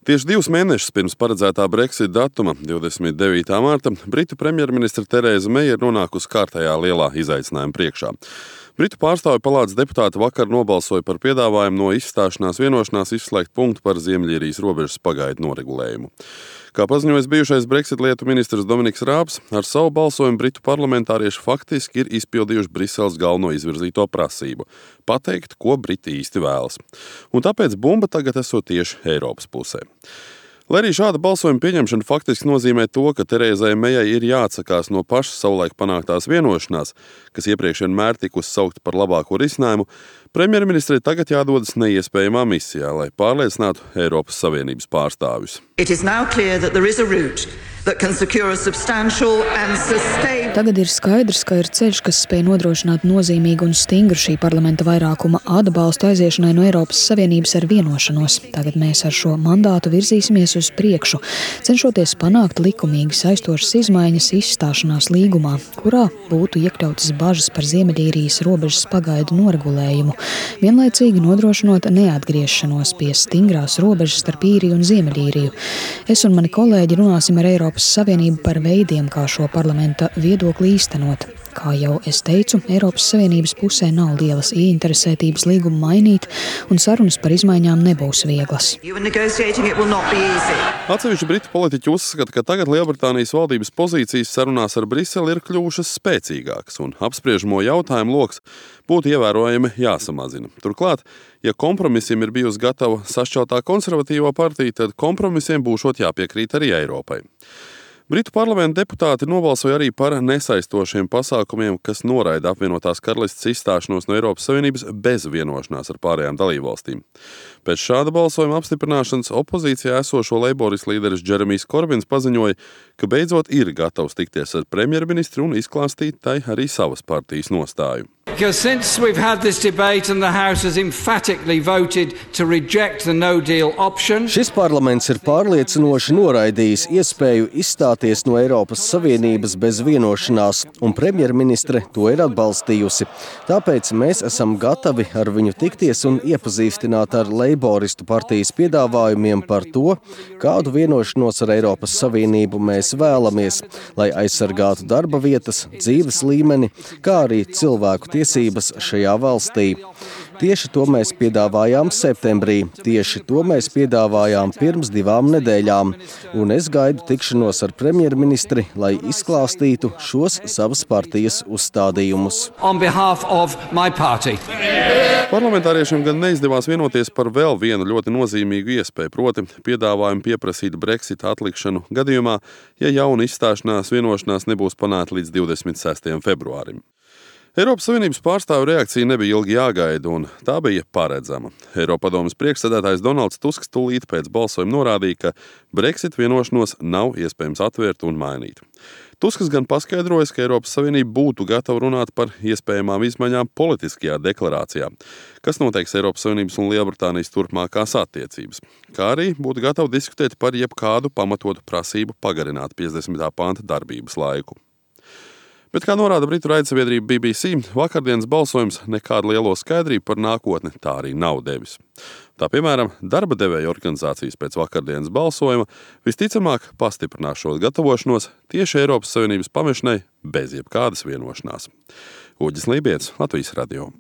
Tieši 2 mēnešus pirms paredzētā Brexit datuma, 29. marta, Britu premjerministre Tereza Meija ir nonākusi kārtējā lielā izaicinājuma priekšā. Britu pārstāvju palātas deputāti vakar nobalsoja par piedāvājumu no izstāšanās vienošanās izslēgt punktu par Ziemeļīrijas robežas pagaidu noregulējumu. Kā paziņojis bijušais Brexit lietu ministrs Dominiks Rābs, ar savu balsojumu Britu parlamentārieši faktiski ir izpildījuši Briseles galveno izvirzīto prasību – pateikt, ko Briti īsti vēlas. Un tāpēc bumba tagad esot tieši Eiropas pusē. Lai arī šāda balsojuma pieņemšana faktiski nozīmē to, ka Terezai Mejai ir jāatsakās no pašas savulaik panāktās vienošanās, kas iepriekš vienmēr tikusi saukta par labāko risinājumu, premjerministrei tagad jādodas neiespējamā misijā, lai pārliecinātu Eiropas Savienības pārstāvjus. Tagad ir skaidrs, ka ir ceļš, kas spēj nodrošināt nozīmīgu un stingru šī parlamenta vairākuma atbalstu aiziešanai no Eiropas Savienības ar vienošanos. Tagad mēs ar šo mandātu virzīsimies uz priekšu, cenšoties panākt likumīgi saistošas izmaiņas izstāšanās līgumā, kurā būtu iekļautas bažas par Ziemeļīrijas robežas pagaidu noregulējumu, vienlaicīgi nodrošinot neatgriešanos pie stingrās robežas starp Īriju un Ziemeļīriju. Es un mani kolēģi runāsim ar Eiropas Savienību par veidiem, kā šo parlamenta viedokli īstenot. Kā jau es teicu, Eiropas Savienības pusē nav lielas ieinteresētības līgumu mainīt, un sarunas par izmaiņām nebūs vieglas. Atsevišķi britu politiķi uzskata, ka tagad Lielbritānijas valdības pozīcijas sarunās ar Briseli ir kļuvušas spēcīgākas, un apspriežamo jautājumu loks būtu ievērojami jāsamazina. Turklāt, ja kompromisiem ir bijusi gatava sašķeltā konservatīvā partija, tad kompromisiem būšot jāpiekrīt arī Eiropai. Britu parlamenta deputāti nobalsoja arī par nesaistošiem pasākumiem, kas noraida apvienotās karalistes izstāšanos no Eiropas Savienības bez vienošanās ar pārējām dalībvalstīm. Pēc šāda balsojuma apstiprināšanas opozīcijā esošo leiboristu līderis Džeremijs Korbins paziņoja, ka beidzot ir gatavs tikties ar premjerministru un izklāstīt tai arī savas partijas nostāju. Since we've had this debate and the House has emphatically voted to reject the no deal option. Šis parlaments ir pārliecinoši noraidījis iespēju izstāties no Eiropas Savienības bez vienošanās, un premjerministre to ir atbalstījusi. Tāpēc mēs esam gatavi ar viņu tikties un iepazīstināt ar leiboristu partijas piedāvājumiem par to, kādu vienošanos ar Eiropas Savienību mēs vēlamies, lai aizsargātu darba vietas, dzīves līmeni, kā arī cilvēku tiesības šajā valstī. Tieši to mēs piedāvājām septembrī, tieši to mēs piedāvājām pirms 2 nedēļām, un es gaidu tikšanos ar premjerministri, lai izklāstītu šos savas partijas uzstādījumus. Parlamentāriešiem gan neizdevās vienoties par vēl vienu ļoti nozīmīgu iespēju, proti piedāvājumu pieprasīt Brexit atlikšanu gadījumā, ja jauna izstāšanās vienošanās nebūs panākta līdz 26. februārim. Eiropas Savienības pārstāvu reakcija nebija ilgi jāgaida, un tā bija paredzama. Eiropadomes priekšsēdētājs Donalds Tusks tūlīt pēc balsojuma norādīja, ka Brexit vienošanos nav iespējams atvērt un mainīt. Tusks gan paskaidroja, ka Eiropas Savienība būtu gatava runāt par iespējamām izmaiņām politiskajā deklarācijā, kas noteiks Eiropas Savienības un Lielbritānijas turpmākās attiecības, kā arī būtu gatava diskutēt par jebkādu pamatotu prasību pagarināt 50. panta darbības laiku. Bet, kā norāda Britu raidsabiedrība BBC, vakardienas balsojums nekādu lielo skaidrību par nākotni tā arī nav devis. Tā, piemēram, darba devēja organizācijas pēc vakardienas balsojuma visticamāk pastiprinās šo gatavošanos tieši Eiropas Savienības pamešanai bez jebkādas vienošanās. Uģis Lībijets, Latvijas radio.